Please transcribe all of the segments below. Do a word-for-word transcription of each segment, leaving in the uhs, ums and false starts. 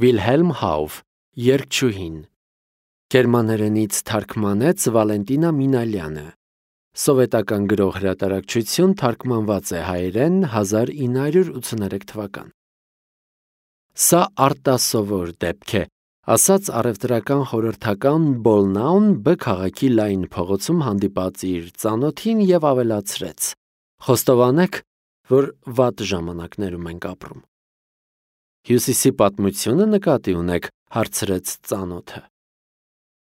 Վիլհելմ Հաուֆ, Երգչուհին, գերմաներենից թարգմանեց Վալենտինա Մինալյանը, սովետական գրող հրատարակչություն, թարգմանված է հայերեն հազար ինը հարյուր ութսուներեք թվական։ Սա արտասովոր դեպք է, ասաց առևտրական խորհրդական Բոլնաուն Բ քաղաքի լայն փողոցում հանդիպած իր ծանոթին և ավելացրեց. խոստովանեք, որ վատ ժամանակներում ենք ապրում։ Հյուսիսի պատմությունը նկատի ունեք, հարցրեց ծանոթը։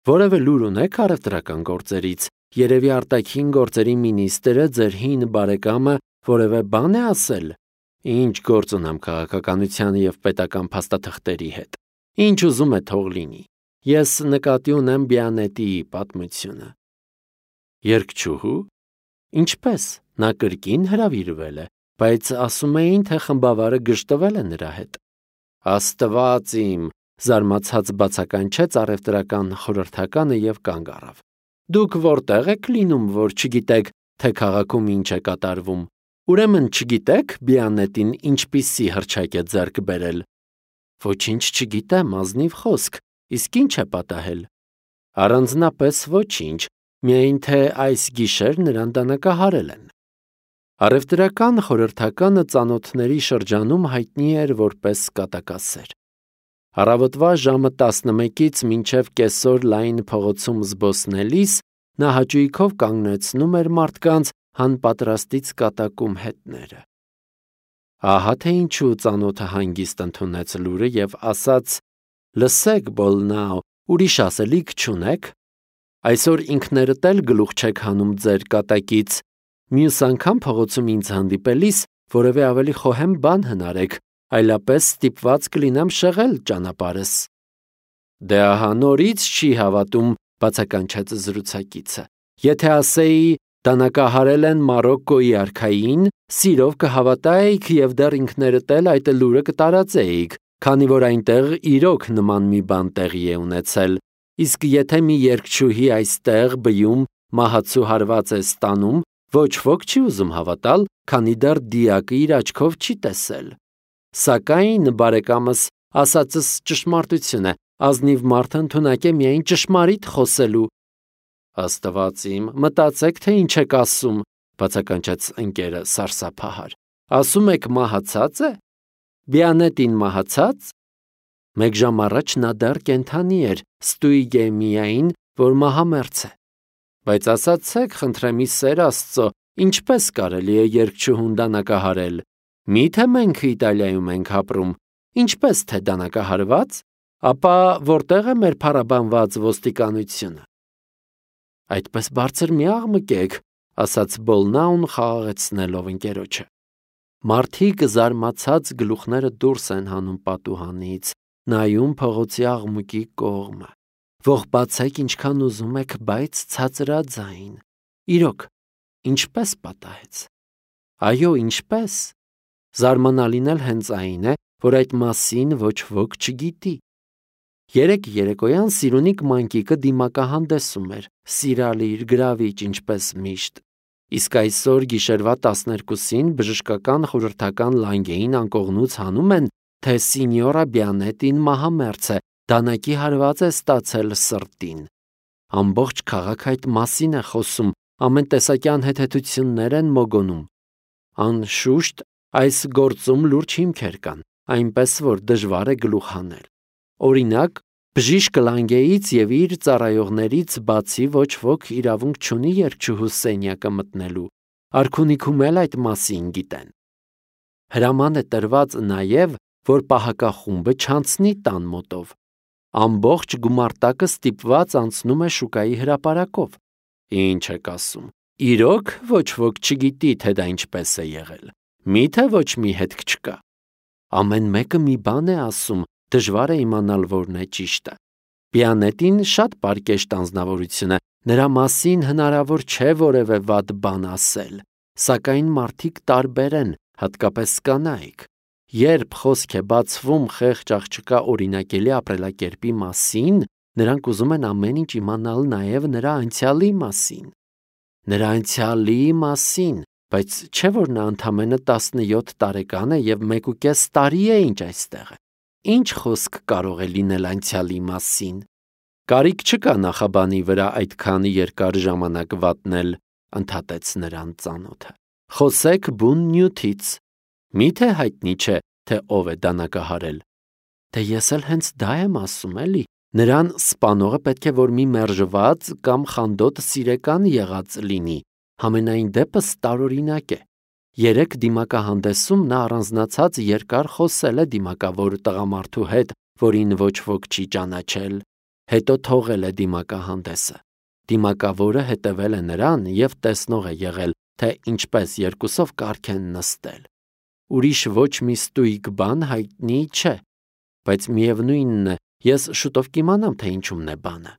Որևէ լուր ունեք առևտրական գործերից, երևի արտաքին գործերի մինիստրը, ձեր հին բարեկամը որևէ բան է ասել։ Ինչ գործ ունեմ քաղաքականության և պետական փաստաթղթերի հետ։ Ինչ ուզում է թող լինի։ Ես նկատի ունեմ Բիանետիի պատմությունը։ Երգչուհու։ Ինչպես, նա կրկին հրավիրվել է, բայց ասում էին, թե խմբավարը գժտվել է նրա հետ։ Աստված իմ, զարմացած բացականչեց առևտրական խորհրդականը և կանգ առավ։ Դուք որտեղ եք լինում, որ չգիտեք, թե քաղաքում ինչ է կատարվում։ Ուրեմն չգիտեք Բիանետին ինչպիսի հռչակ է ձեռք բերել։ Ոչինչ չգիտեմ, ազնիվ խոսք, իսկ ինչ է պատահել։ Առանձնապես ոչինչ, միայն թե այս գիշեր նրան դանակահարել են։ Առևտրական խորհրդականը ծանոթների շրջանում հայտնի էր որպես կատակասեր։ Առավոտվա ժամը տասնմեկից մինչև կեսօր լայն փողոցում զբոսնելիս նա հաճույքով կանգնեցնում էր մարդկանց հանպատրաստից կատակում հետները։ Ահա թե ինչու ծանոթը հանգիստ ընդունեց լուրը և ասաց. լսեք, Բոլնաու, ուրիշ ասելիք չունեք։ Այսօր ինքներդ էլ գլուխ չեք հանում ձեր կատակից։ Մյուս անգամ փողոցում ինձ հանդիպելիս որևէ ավելի խոհեմ բան հնարեք, այլապես ստիպված կլինեմ շեղել ճանապարհս։ Դե ահա նորից չի հավատում, բացականչեց զրուցակիցը։ Եթե ասեի դանակահարել են Մարոկկոյի արքային, սիրով կհավատայիք և դեռ ինքներդ էլ այդ լուրը կտարածեիք, քանի որ այնտեղ իրոք նման մի բան տեղի է ունեցել։ Իսկ եթե մի երգչուհի այստեղ բյում մահացու հարված է ստանում, ոչ ոք չի ուզում հավատալ, քանի դեռ դիակը իր աչքով չի տեսել։ Սակայն, բարեկամս, ասածս ճշմարտություն է, ազնիվ մարդ ընդունակ է միայն ճշմարիտ խոսելու։ Աստված իմ, մտածեք, թե ինչ եք ասում, բացականչեց ընկերը սարսափահար։ Ասում եք մահացած է։ Բիանետին մահացած։ Մեկ ժամ առաջ նա դեռ կենդանի էր, ստույգ է միայն, որ մահամերձ է։ Բայց ասացեք, խնդրեմ ի սեր Աստծո, ինչպես կարելի է երգչուհուն դանակահարել։ Մի՞թե մենք Իտալիայում ենք ապրում, ինչպես թե դանակահարված, ապա որտեղ է մեր փառաբանված ոստիկանությունը։ Այդպես բարձր մի աղմկեք, ասաց Բոլնաուն խաղաղեցնելով ընկերոջը։ Մարդիկ զարմացած գլուխները դուրս են հանում պատուհանից, նայում փողոցի աղմուկի կողմը։ Ողբացեք ինչքան ուզում եք, բայց ցածրաձայն։ Իրոք, ինչպես պատահեց։ Այո, ինչպես։ Զարմանալին էլ հենց այն է, որ այդ մասին ոչ ոք չգիտի։ Երեկ երեկոյան Սիրունիկ մանկիկը դիմակահանդեսում էր, սիրալիր, գրավիչ, ինչպես միշտ։ Իսկ այսօր գիշերվա տասներկուսին բժշկական խորհրդական լանգեին անկողնուց հանում են, թե սինյորա Բիանետին մահամերձ է, դանակի հարված է ստացել սրտին։ Ամբողջ քաղաքը այդ մասին է խոսում, ամեն տեսակյան հետհետություններ են մոգոնում։ Անշուշտ, այս գործում լուրջ հիմքեր կան, այնպես որ դժվար է գլուխ հանել։ Օրինակ, բժիշկ լանգեից և իր ծառայողներից բացի ոչ ոք իրավունք չունի երգչուհու սենյակը մտնելու։ Արքունիքում էլ այդ մասին գիտեն։ Հրաման է տրված նաև, որ պահակախումբը չանցնի տան մոտով։ Ամբողջ գումարտակը ստիպված անցնում է շուկայի հրապարակով։ Ինչ եք ասում։ Իրոք ոչ ոք չգիտի, թե դա ինչպես է եղել։ Մի՞թե ոչ մի հետք չկա։ Ամեն մեկը մի բան է ասում, դժվար է իմանալ որն է ճիշտը։ Բիանետին շատ պարկեշտ անձնավորություն է, նրա մասին հնարավոր չէ որևէ վատ բան ասել, սակայն մարդիկ տարբեր են, հատկապես կանայք։ Երբ խոսք է բացվում խեղճ աղջկա օրինակելի ապրելակերպի մասին, նրանք ուզում են ամեն ինչ իմանալ նաև նրա անցյալի մասին։ Նրա անցյալի մասին, բայց չէ՞ որ նա ընդամենը տասնյոթ տարեկան է և մեկուկես տարի է ինչ այստեղ է։ ինչ խոսք կարող է լինել անցյալի մասին։ Կարիք չկա նախաբանի վրա այդքան երկար ժամանակ վատնել, ընդհատեց նրան ծանոթը։ Խոսեք բուն նյութից։ Միթե հայտնի չէ, թե ով է դանակահարել։ Դե ես էլ հենց դա եմ ասում, էլի։ Նրան սպանողը պետք է որ մի մերժված կամ խանդոտ սիրեկան եղած լինի, համենայն դեպս տարօրինակ է։ Երեք դիմակահանդեսում նա առանձնացած երկար խոսել է դիմակավոր տղամարդու հետ, որին ոչ ոք չի ճանաչել, հետո թողել է դիմակահանդեսը։ Դիմակավորը հետևել է նրան և տեսնող է եղել, թե ինչպես երկուսով կարգ են նստել։ Ուրիշ ոչ մի ստույգ բան հայտնի չէ, բայց միևնույնն է, ես շուտով կիմանամ, թե ինչումն է բանը։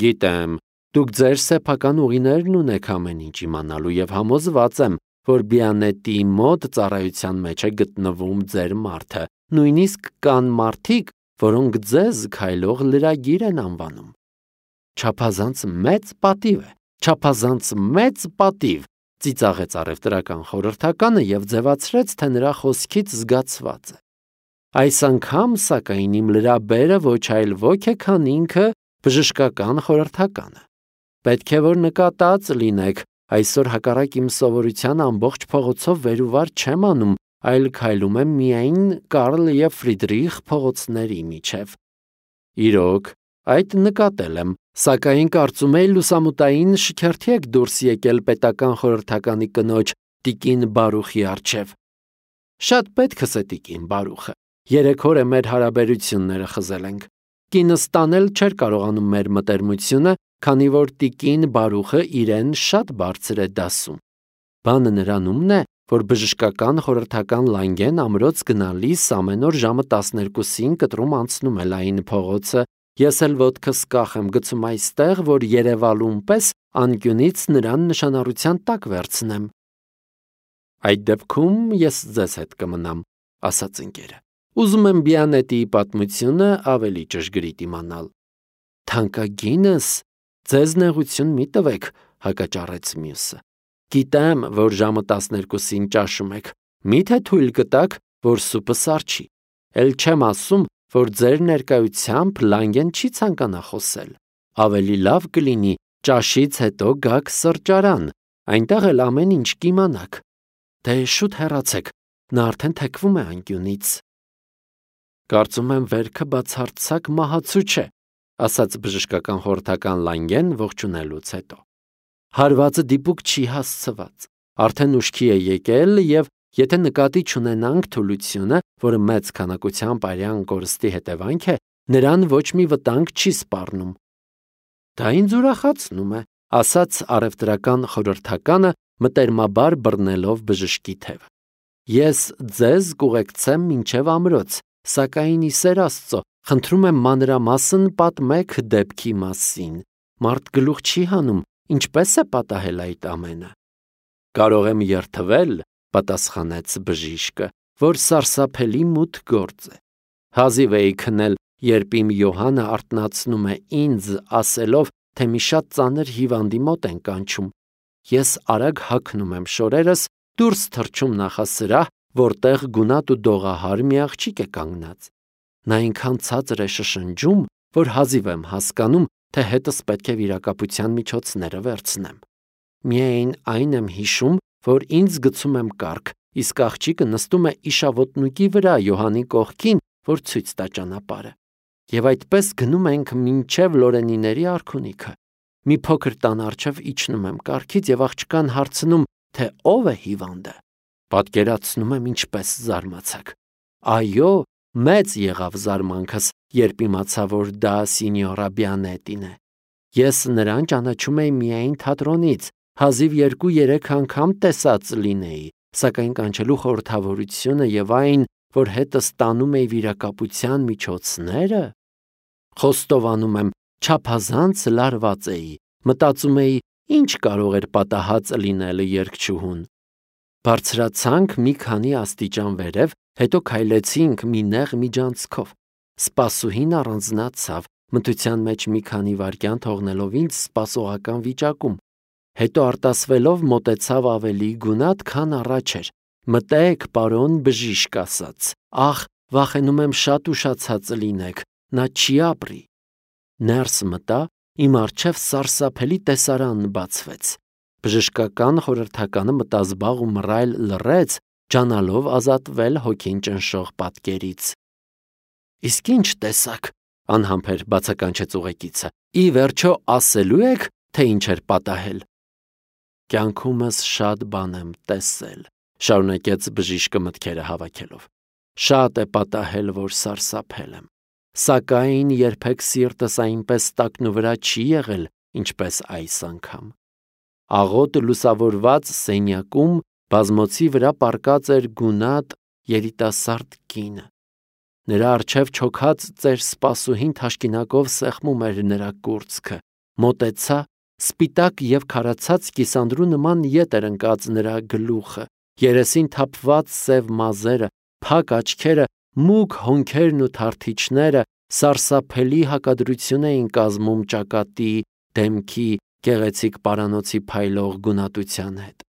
Գիտեմ, դուք ձեր սեփական ուղիներն ունեք ամեն ինչ իմանալու և համոզված եմ, որ Բիանետի մոտ ծառայության մեջ է գտնվում ձեր մարդը, նույնիսկ կան մարդիկ, որոնք ձեզ քայլող լրագիր են անվանում։ Չափազանց մեծ պատիվ է, չափազանց մեծ պատիվ, ծիծաղեց առևտրական խորհրդականը և ձևացրեց, թե նրա խոսքից զգացված է։ Այս անգամ, սակայն, իմ լրաբերը ոչ այլ ոք է, քան ինքը բժշկական խորհրդականը։ Պետք է որ նկատած լինեք, այսօր հակառակ իմ սովորության ամբողջ փողոցով վեր ու վար չեմ անում, այլ քայլում եմ միայն Կարլ և Ֆրիդրիխ փողոցների միջև։ Իրոք, այդ նկատել եմ, սակայն կարծում էի լուսամուտային շքերթի եք դուրս եկել պետական խորհրդականի կնոջ տիկին Բարուխի առջև։ Շատ պետքս է տիկին Բարուխը։ Երեք օր է մեր հարաբերությունները խզել ենք։ Կինս տանել չէր կարողանում մեր մտերմությունը, քանի որ տիկին Բարուխը իրեն շատ բարձր է դասում։ Բանը նրանումն է, որ բժշկական խորհրդական Լանգեն ամրոց գնալիս ամեն օր ժամը տասներկուսին կտրում անցնում է լայն փողոցը, ես էլ ոտքս կախ եմ գցում այստեղ, որ Երևալուն պես անկյունից նրան նշանառության տակ վերցնեմ։ Այդ դեպքում ես ձեզ հետ կմնամ, ասաց ընկերը։ Ուզում եմ Բիանետիի պատմությունը ավելի ճշգրիտ իմանալ։ Թանկագինս, ձեզ նեղություն մի տվեք, հակաճառեց մյուսը։ Գիտեմ, որ ժամը տասներկուսին ճաշում եք, միթե թույլ կտաք, որ սուպը սառչի։ Էլ չեմ ասում, որ ձեր ներկայությամբ Լանգեն չի ցանկանա խոսել։ Ավելի լավ կլինի ճաշից հետո գաք սրճարան, այնտեղ էլ ամեն ինչ կիմանաք։ Դե շուտ հեռացեք, նա արդեն թեքվում է անկյունից։ Կարծում եմ վերքը բացարձակ մահացու չէ, ասաց բժշկական խորհրդական Լանգեն ողջունելուց հետո։ Հարվածը դիպուկ չի հասցված, արդեն ուշքի է եկել և եթե նկատի չունենանք թուլությունը, որը մեծ քանակությամբ արյան կորստի հետևանք է, նրան ոչ մի վտանգ չի սպառնում։ Դա ինձ ուրախացնում է, ասաց առևտրական խորհրդականը մտերմաբար բռնելով բժշկի թևը։ Ես ձեզ կուղեկցեմ մինչև ամրոց, սակայն ի սեր Աստծո, խնդրում եմ մանրամասն պատմեք դեպքի մասին։ Մարդ գլուխ չի հանում, ինչպես է պատահել այդ ամենը։ Կարող եմ երդվել, պատասխանեց բժիշկը, որ սարսափելի մութ գործ է։ Հազիվ էի քնել, երբ իմ Յոհանը արթնացնում է ինձ, ասելով, թե մի շատ ծանր հիվանդի մոտ են կանչում։ Ես արագ հագնում եմ շորերս, դուրս թռչում նախասրահ, որտեղ գունատ ու դողահար մի աղջիկ է կանգնած։ Նա այնքան ցածր է շշնջում, որ հազիվ եմ հասկանում, թե հետս պետք է վիրակապության միջոցները վերցնեմ։ Միայն այն եմ հիշում, որ ինձ գցում եմ կառք, իսկ աղջիկը նստում է իշավոտնուկի վրա Յոհանի կողքին, որ ցույց տա ճանապարհը։ Եվ այդպես գնում ենք մինչև Լորենիների արքունիքը։ Մի փոքր տան առջև իջնում եմ կառքից և աղջկան հարցնում, թե ով է հիվանդը։ Պատկերացնում եմ ինչպես զարմացաք։ Այո, մեծ եղավ զարմանքս, երբ իմացա, որ դա սինյորա Բիանետին է։ Ես նրան ճանաչում էի միայն թատրոնից, հազիվ երկու-երեք անգամ տեսած լինեի, սակայն կանչելու խորհրդավորությունը և այն, որ հետս տանում էի վիրակապության միջոցները, խոստովանում եմ, չափազանց լարված էի, մտածում էի, ինչ կարող էր պատահած լինել երգչուհուն։ Բարձրացանք մի քանի աստիճան վերև, հետո քայլեցինք մի նեղ միջանցքով։ Սպասուհին առանձնացավ, մթության մեջ մի քանի վայրկյան թողնելով ինձ սպասողական վիճակում։ Հետո արտասվելով մոտեցավ ավելի գունատ, քան առաջ էր։ Մտեք, պարոն բժիշկ ասաց, ախ, վախենում եմ շատ ուշացած լինեք, նա չի ապրի։ Ներս մտա, իմ առջև սարսափելի տեսարան բացվեց։ Բժշկական խորհրդականը մտազբաղ ու մռայլ լռեց, ջանալով ազատվել հոգին ճնշող պատկերից։ Իսկ ինչ տեսակ, անհամբեր բացականչեց ուղեկիցը, ի վերջո ասելու եք, թե ինչ էր պատահել։ Կյանքումս շատ բան եմ տեսել, շարունակեց բժիշկը մտքերը հավաքելով։ Շատ է պատահել, որ սարսափել եմ, սակայն երբեք սիրտս այնպես տակնու վրա չի եղել, ինչպես այս անգամ։ Աղոտ լուսավորված սենյակում բազմոցի վրա պառկած էր գունատ երիտասարդ կինը։ Նրա առջև չոքած ծեր սպասուհին թաշկինակով սեղմում էր նրա կուրծքը, մոտեցա, սպիտակ և քարացած կիսանդրու նման ետ էր ընկած նրա գլուխը, երեսին թափված սև մազերը, փակ աչքերը, մուգ հոնքերն ու թարթիչները սարսափելի հակադրություն էին կազմում ճակատի, դեմքի, գեղեցիկ պարանոցի փայլող գունատության հետ։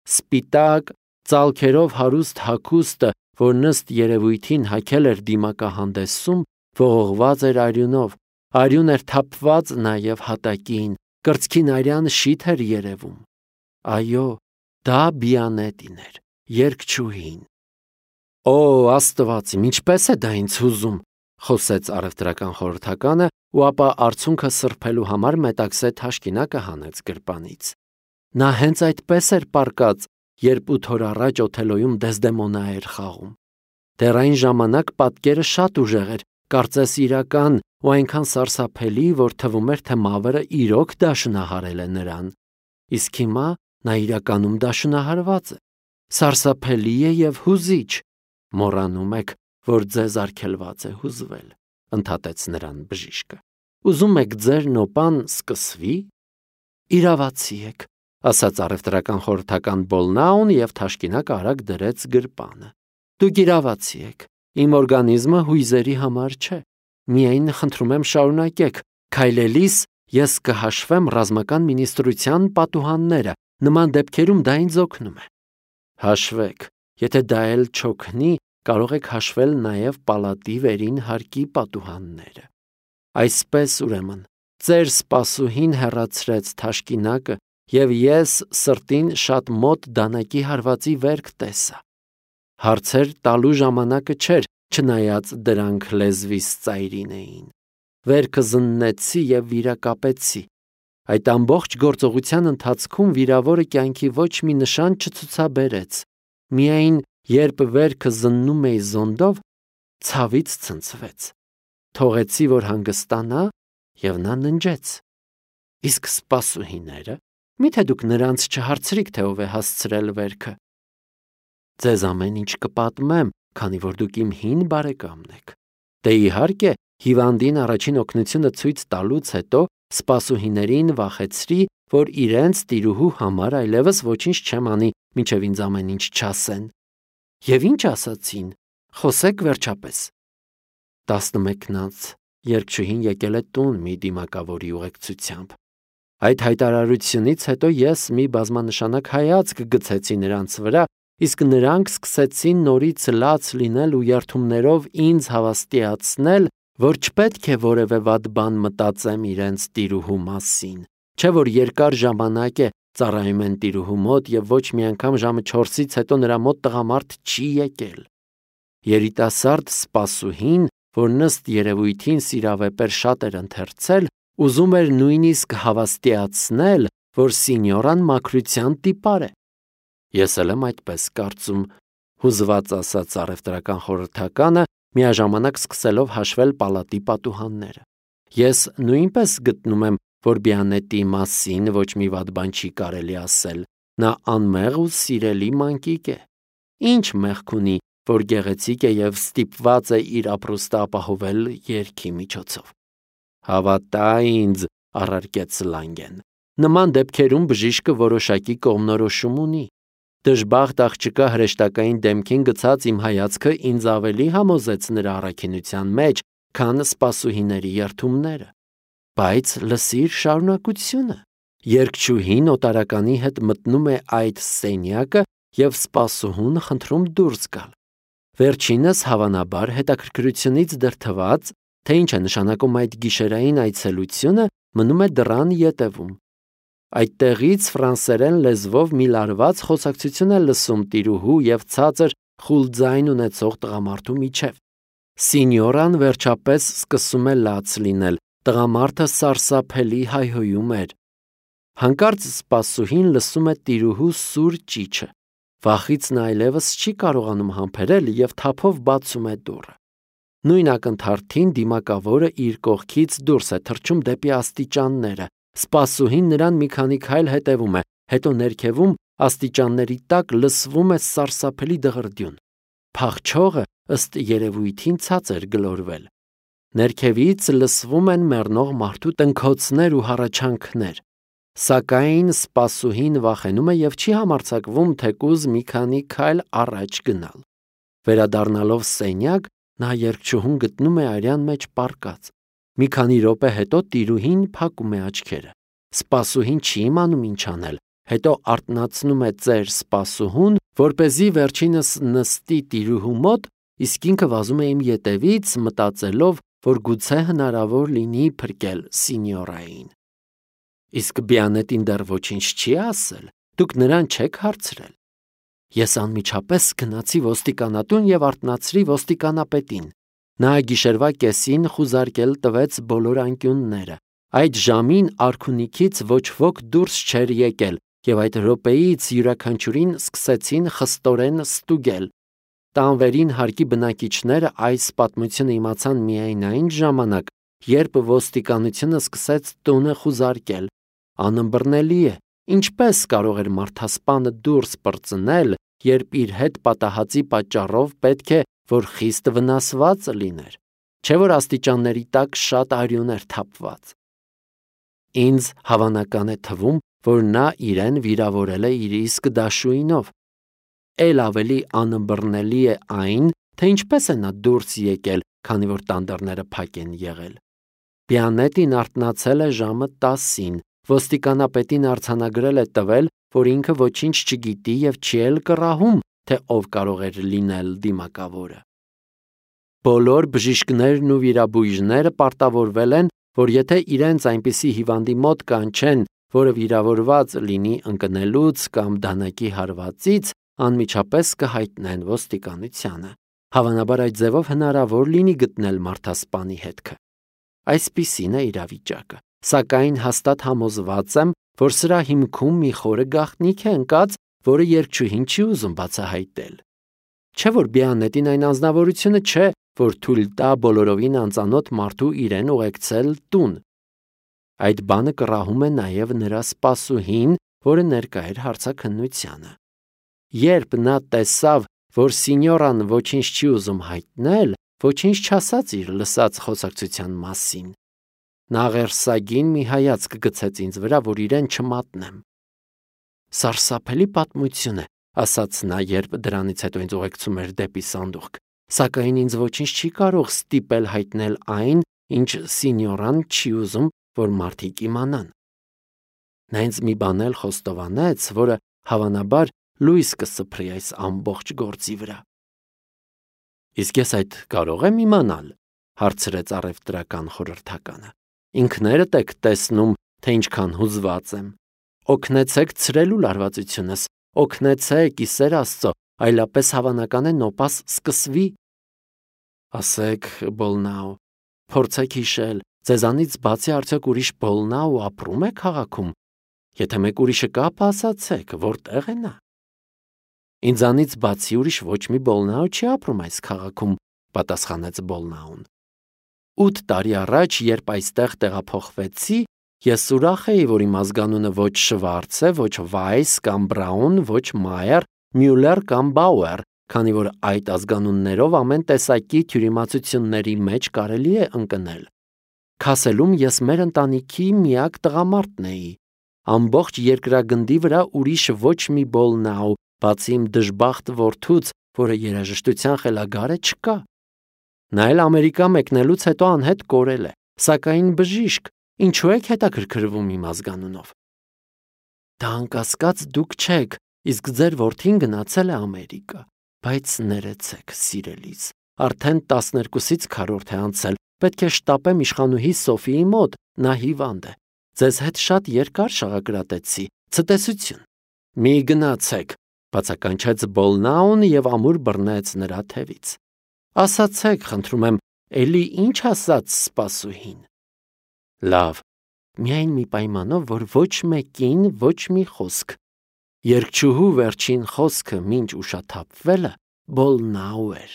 Սպիտակ, ծալքերով հարուստ հագուստը, որ ըստ երևույթին հագել էր դիմակահանդեսում, ողողված էր արյունով, արյուն էր թափված նաև հատակին, կրծքին արյան շիթ էր երևում։ Այո, դա Բիանետին էր, երգչուհին։ Օ, Աստված իմ, ինչպես է դա ինձ հուզում, խոսեց առևտրական խորհրդականը ու ապա արցունքը սրբելու համար մետաքսե թաշկինակը հանեց գրպանից։ Նա հենց այդպես էր պառկած, երբ ութ օր առաջ Օթելոյում Դեսդեմոնա էր խաղում։ Դեռ այն ժամանակ պատկերը շատ ուժեղ էր, կարծես իրական, ու այնքան սարսափելի, որ թվում էր, թե մավրը իրոք դաշնահարել է նրան։ Իսկ հիմա նա իրականում դաշնահարված է։ Սարսափելի է և հուզիչ։ Մոռանում եք, որ ձեզ արգելված է հուզվել, ընդհատեց նրան բժիշկը։ Ուզում եք ձեր նոպան սկսվի։ Իրավացի եք, ասաց առևտրական խորհրդական Բոլնաուն և թաշկինակը արագ դրեց գրպանը։ Դուք իրավացի եք, իմ օրգանիզմը հույզերի համար չէ։ Միայն խնդրում եմ շարունակեք, քայլելիս ես կհաշվեմ ռազմական մինիստրության պատուհանները, նման դեպքերում դա ինձ օգնում է։ Հաշվեք, եթե դա էլ չօգնի, կարող եք հաշվել նաև պալատի վերին հարկի պատուհանները։ Այսպես ուրեմն, ծեր սպասուհին հեռացրեց թաշկինակը, և ես սրտին շատ մոտ դանակի հարվածի վերք տեսա։ Հարցեր տալու ժամանակը չէր, չնայած դրանք լեզվիս ծայրին էին։ Վերքը զննեցի և վիրակապեցի։ Այդ ամբողջ գործողության ընթացքում վիրավորը կյանքի ոչ մի նշան չցուցաբերեց։ Միայն երբ վերքը զննում էի զոնդով, ցավից ցնցվեց։ Թողեցի, որ հանգստանա, և նա ննջեց։ Իսկ սպասուհիները, միթե դուք նրանց չհարցրիք, թե ով է հասցրել վերքը։ Ձեզ ամեն ինչ կպատմեմ, քանի որ դուք իմ հին բարեկամն եք։ Դե իհարկե, հիվանդին առաջին օգնությունը ցույց տալուց հետո սպասուհիներին վախեցրի, որ իրենց տիրուհու համար այլևս ոչինչ չեմ անի, մինչև ինձ ամեն ինչ չասեն։ Եվ ինչ ասացին, խոսեք վերջապես։ Տասնմեկնաց երգչուհին եկել է տուն մի դիմակավորի ուղեկցությամբ։ Այդ հայտարարությունից հետո ես մի բազմանշանակ հայացք գցեցի նրանց վրա, իսկ նրանք սկսեցին նորից լաց լինել ու երդումներով ինձ հավաստիացնել, որ չպետք է որևէ վատ բան մտածեմ իրենց տիրուհու մասին, չէ որ երկար ժամանակ է ծառայում են տիրուհու մոտ և ոչ մի անգամ ժամը չորսից հետո նրա մոտ տղամարդ չի եկել։ Երիտասարդ սպասուհին, որ ըստ երևույթին սիրավեպեր շատ էր ընթերցել, ուզում էր նույնիսկ հավաստիացնել, որ սինյորան մաքրության տիպար է։ Ես էլ եմ այդպես կարծում, հուզված ասաց առևտրական խորհրդականը, միաժամանակ սկսելով հաշվել պալատի պատուհանները։ Ես նույնպես գտնում եմ, որ Բիանետի մասին ոչ մի վատ բան չի կարելի ասել։ Նա անմեղ ու սիրելի մանկիկ է։ Ինչ մեղք ունի, որ գեղեցիկ է և ստիպված է իր ապրուստը ապահովել երգի միջոցով։ Հավատա ինձ, առարկեց Լանգեն։ Նման դեպքերում բժիշկը որոշակի կողմնորոշում ունի։ Դժբախտ աղջկա հրեշտակային դեմքին գցած իմ հայացքը ինձ ավելի համոզեց նրա առաքինության մեջ, քան սպասուհիների երդումները։ Բայց լսիր շարունակությունը։ Երգչուհին օտարականի հետ մտնում է այդ սենյակը և սպասուհուն խնդրում դուրս գալ։ Վերջինս հավանաբար հետաքրքրությունից դրդված, թե ինչ է նշանակում այդ գիշերային այցելությունը, մնում է դռան ետևում։ Այդտեղից ֆրանսերեն լեզվով մի լարված խոսակցություն է լսում տիրուհու և ցածր խուլ ձայն ունեցող տղամարդու միջև։ Սինյորան վերջապես սկսում է լաց լինել, տղամարդը սարսափելի հայհոյում էր։ Հանկարծ սպասուհին լսում է տիրուհու սուր ճիչը։ Վախից նա այլևս չի կարողանում համբերել և թափով բացում է դուռը։ Նույն ակնթարթին դիմակավորը իր կողքից դուրս է թռչում դեպի աստիճանները։ Սպասուհին նրան մի քանի քայլ հետևում է, հետո ներքևում աստիճանների տակ լսվում է սարսափելի դղրդյուն։ Փախչողը ըստ երևույթին ցած էր գլորվել։ Ներքևից լսվում են մեռնող մարդու տնքոցներ ու հառաչանքներ։ Սակայն սպասուհին վախենում է և չի համարձակվում թեկուզ մի քանի քայլ առաջ գնալ։ Վերադառնալով սենյակ, նա երգչուհուն գտնում է արյան մեջ պառկած։ Մի քանի րոպե հետո տիրուհին փակում է աչքերը։ Սպասուհին չի իմանում ինչ անել, հետո արթնացնում է ծեր սպասուհուն, որպեսզի վերջինս նստի տիրուհու մոտ, իսկ ինքը վազում է իմ ետևից, մտածելով, որ գուցե հնարավոր լինի փրկել սինյորային։ Իսկ Բիանետին դեռ ոչինչ չի ասել, դուք նրան չեք հարցրել։ Ես անմիջապես գնացի ոստիկանատուն և արթնացրի ոստիկանապետին։ Նա գիշերվա կեսին խուզարկել տվեց բոլոր անկյունները։ Այդ ժամին արքունիքից ոչ ոք դուրս չէր եկել, և այդ րոպեից յուրաքանչյուրին սկսեցին խստորեն ստուգել։ Տանվերին հարկի բնակիչները այս պատմությունը իմացան միայն այն ժամանակ, երբ ոստիկանությունը սկսեց տունը խուզարկել։ Անըմբռնելի է, ինչպես կարող էր մարդասպանը դուրս պրծնել, երբ իր հետ պատահածի պատճառով պետք է, որ խիստ վնասված լիներ, չէ՞ որ աստիճանների տակ շատ արյուն էր թափված։ Ինձ հավանական է թվում, որ նա իրեն վիրավորել է իր իսկ դաշույնով։ Էլ ավելի անըմբռնելի է այն, թե ինչպես է նա դուրս եկել, քանի որ տան դռները փակ են եղել։ Բիանետին արթնացել է ժամը տասին, ոստիկանապետին արձանագրել է տվել, որ ինքը ոչինչ չգիտի և չի էլ կռահում, թե ով կարող էր լինել դիմակավորը։ Բոլոր բժիշկներն ու վիրաբույժները պարտավորվել են, որ եթե իրենց այնպիսի հիվանդի մոտ կանչեն, որը վիրավորված լինի ընկնելուց կամ դանակի հարվածից, անմիջապես կհայտնեն ոստիկանությանը։ Հավանաբար այդ ձևով հնարավոր լինի գտնել մարդասպանի հետքը։ Այսպիսին է իրավիճակը, սակայն հաստատ համոզված եմ, որ սրա հիմքում մի խորը գաղտնիք է ընկած, որը երգչուհին չի ուզում բացահայտել։ Չէ՞ որ Բիանետին այն անձնավորությունը չէ, որ թույլ տա բոլորովին անծանոթ մարդու իրեն ուղեկցել տուն։ Այդ բանը կռահում է նաև նրա սպասուհին, որը ներկա էր հարցաքննությանը։ Երբ նա տեսավ, որ սինյորան ոչինչ չի ուզում հայտնել, ոչինչ չասաց իր լսած խոսակցության մասին։ Նա աղերսագին մի հայացք գցեց ինձ վրա, որ իրեն չմատնեմ։ Սարսափելի պատմություն է, ասաց նա, երբ դրանից հետո ինձ ուղեկցում էր դեպի սանդուղք, սակայն ինձ ոչինչ չի կարող ստիպել հայտնել այն, ինչ սինյորան չի ուզում, որ մարդիկ իմանան։ Նա ինձ մի բան էլ խոստովանեց, որը հավանաբար լույս կսփռի այս ամբողջ գործի վրա։ Իսկ ես այդ կարող եմ իմանալ, հարցրեց առևտրական խորհրդականը։ Ինքներդ եք տեսնում, թե ինչքան հուզված եմ։ Օգնեցեք ցրելու լարվածությունս, օգնեցեք, ի սեր Աստծո, այլապես հավանական է նոպաս սկսվի։ Ասեք, Բոլնաու, փորձեք հիշել, ձեզանից բացի արդյոք ուրիշ Բոլնաու ապրում է քաղաքում։ Եթե մեկ ուրիշը կա, ասացեք, որտեղ է նա։ Ինձանից բացի ուրիշ ոչ մի Բոլնաու չի ապրում այս քաղաքում, պատասխանեց Բոլնաուն։ Ութ տարի առաջ, երբ այստեղ տեղափոխվեցի, ես ուրախ էի, որ իմ ազգանունը ոչ Շվարց է, ոչ Վայս կամ Բրաուն, ոչ Մայեր, Մյուլեր կամ Բաուեր, քանի որ այդ ազգանուններով ամեն տեսակի թյուրիմացությունների մեջ կարելի է ընկնել։ Քասելում ես մեր ընտանիքի միակ տղամարդն էի։ Ամբողջ երկրագնդի վրա ուրիշ ոչ մի Բոլնաու, բացի իմ դժբախտ որդուց, որը երաժշտության խելագար է, չկա։ Նա էլ Ամերիկա մեկնելուց հետո անհետ կորել է, սակայն բժիշկ, ինչու եք հետաքրքրվում իմ ազգանունով։ Դա անկասկած դուք չեք, իսկ ձեր որդին գնացել է Ամերիկա։ Բայց ներեցեք, սիրելիս, արդեն տասներկուսից քառորդ է անցել, պետք է շտապեմ իշխանուհի Սոֆիի մոտ, նա հիվանդ է, ձեզ հետ շատ երկար շաղակրատեցի, ցտեսություն։ Մի գնացեք, բացականչեց Բոլնաուն և ամուր բռնեց նրա թևից։ Ասացեք, խնդրում եմ, էլի ինչ ասաց սպասուհին։ Լավ, միայն մի պայմանով, որ ոչ մեկին ոչ մի խոսք։ Երգչուհու վերջին խոսքը մինչ ուշաթափվելը Բոլնաու էր։